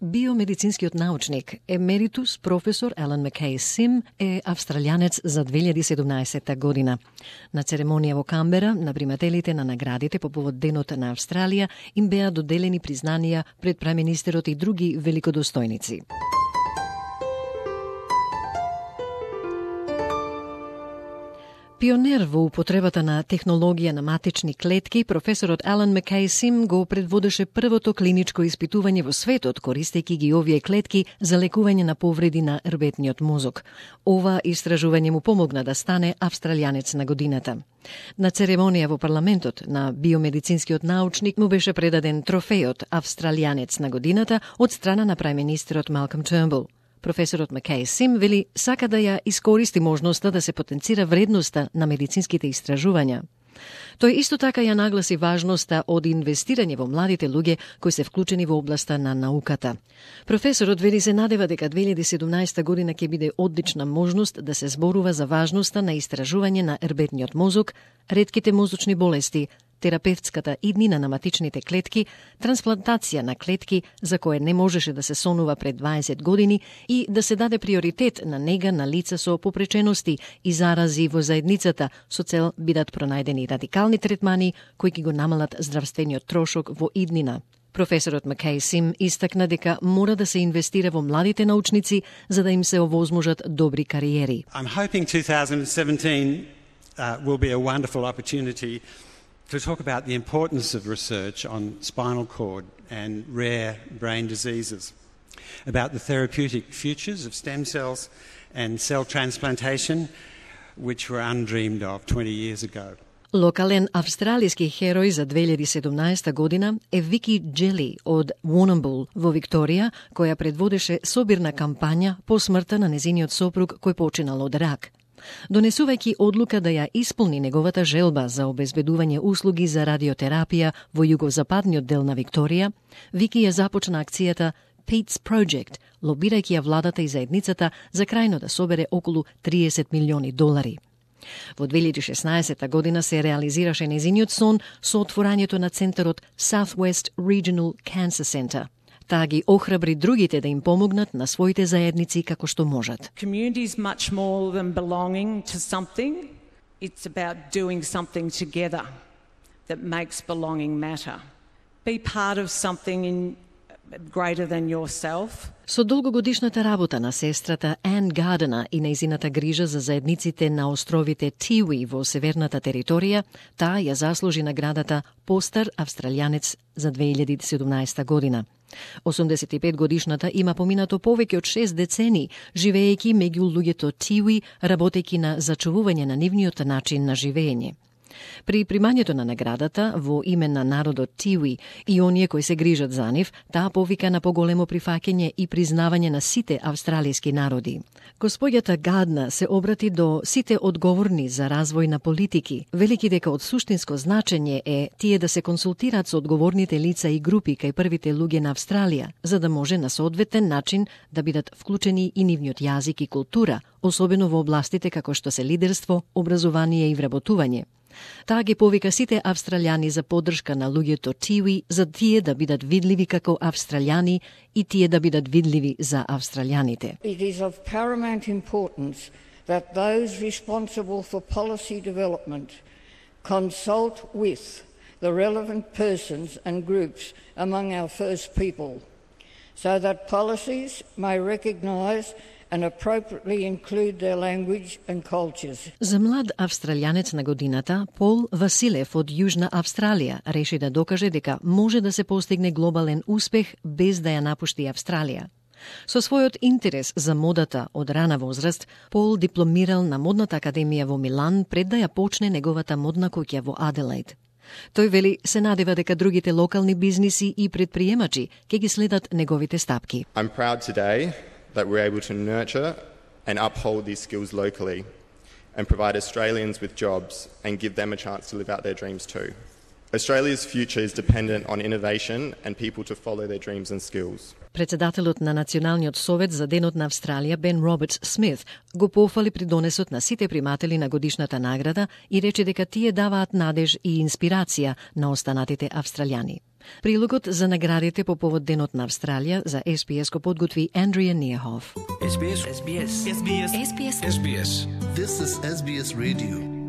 Биомедицинскиот научник, емеритус професор Алан Маккей Сим е австралијанец за 2017 година. На церемонија во Камбера, на примателите на наградите по повод Денот на Австралија им беа доделени признанија пред преминистерот и други великодостојници. Пионер во употребата на технологија на матични клетки, професорот Алан Маккей Сим го предводеше првото клиничко испитување во светот, користејќи ги овие клетки за лекување на повреди на рбетниот мозок. Ова истражување му помогна да стане австралијанец на годината. На церемонија во парламентот на биомедицинскиот научник му беше предаден трофејот австралијанец на годината од страна на прајминистерот Малком Тернбул. Професорот Маккей Сим вели сака да ја искористи можноста да се потенцира вредноста на медицинските истражувања. Тој исто така ја нагласи важноста од инвестирање во младите луѓе кои се вклучени во областа на науката. Професорот вели се надева дека 2017 година ќе биде одлична можност да се зборува за важноста на истражување на рбетниот мозок, ретките мозочни болести, терапевтската иднина на матичните клетки, трансплантација на клетки за кое не можеше да се сонува пред 20 години и да се даде приоритет на нега на лица со попречености и зарази во заедницата со цел бидат пронајдени радикални третмани кои ќе го намалат здравствениот трошок во иднина. Професорот Маккей Сим истакна дека мора да се инвестира во младите научници за да им се овозможат добри кариери. I'm hoping 2017 will be a wonderful opportunity to talk about the importance of research on spinal cord and rare brain diseases, about the therapeutic futures of stem cells and cell transplantation, which were undreamed of 20 years ago. Локален австралиски херој за 2017 година е Вики Джели од Warrnambool во Викторија, која предводеше собирна кампања по смртта на незиниот сопруг кој починал од рак. Донесувајќи одлука да ја исполни неговата желба за обезбедување услуги за радиотерапија во југозападниот дел на Викторија, Вики ја започна акцијата Pete's Project, лобирајќи ја владата и заедницата за крајно да собере околу $30 милиони. Во 2016 година се реализираше незиниот сон со отворањето на центарот Southwest Regional Cancer Center. Таа ги охрабри другите да им помогнат на своите заедници како што можат. Community is much more than belonging to something. It's about doing something together that makes belonging matter. Be part of something greater than yourself. Со долгогодишната работа на сестрата Ан Гардена и нејзината грижа за заедниците на островите Тиуи во северната територија, таа ја заслужи наградата Постар австралијанец за 2017 година. 85 годишната има поминато повеќе од 6 децени, живеејќи меѓу луѓето Тиуи, работејќи на зачувување на нивниот начин на живење. При примањето на наградата во име на народот Тиуи и оние кои се грижат за нив, таа повика на поголемо прифаќање и признавање на сите австралијски народи. Господјата Гадна се обрати до сите одговорни за развој на политики, велики дека од суштинско значење е тие да се консултираат со одговорните лица и групи кај првите луѓе на Австралија, за да може на соодветен начин да бидат вклучени и нивниот јазик и култура, особено во областите како што се лидерство, образование и вработување. Таа ги повика сите австралијани за поддршка на луѓето Тиуи, за тие да бидат видливи како австралијани и тие да бидат видливи за австралијаните. It is of paramount importance that those responsible for policy development consult with the relevant persons and groups among our First People, so that policies may recognise and appropriately include their language and cultures. За млад австралијанец на годината, Пол Василев од Јужна Австралија реши да докаже дека може да се постигне глобален успех без да ја напушти Австралија. Со својот интерес за модата од рана возраст, Пол дипломирал на модната академија во Милан пред да ја почне неговата модна куќа во Аделаид. Тој вели се надева дека другите локални бизниси и предприемачи ќе ги следат неговите стапки. I'm proud today that we're able to nurture and uphold these skills locally and provide Australians with jobs and give them a chance to live out their dreams too. Australia's future is dependent on innovation and people to follow their dreams and skills. Председателот на Националниот совет за Денот на Австралија Бен Робертс Смит го пофали придонесот на сите приматели на годишната награда и рече дека тие даваат надеж и инспирација на останатите австралијани. Прилогот за наградите по повод Денот на Австралија за SBS го подготви Андрија Ниехов. SBS. SBS. SBS. SBS. This is SBS Radio.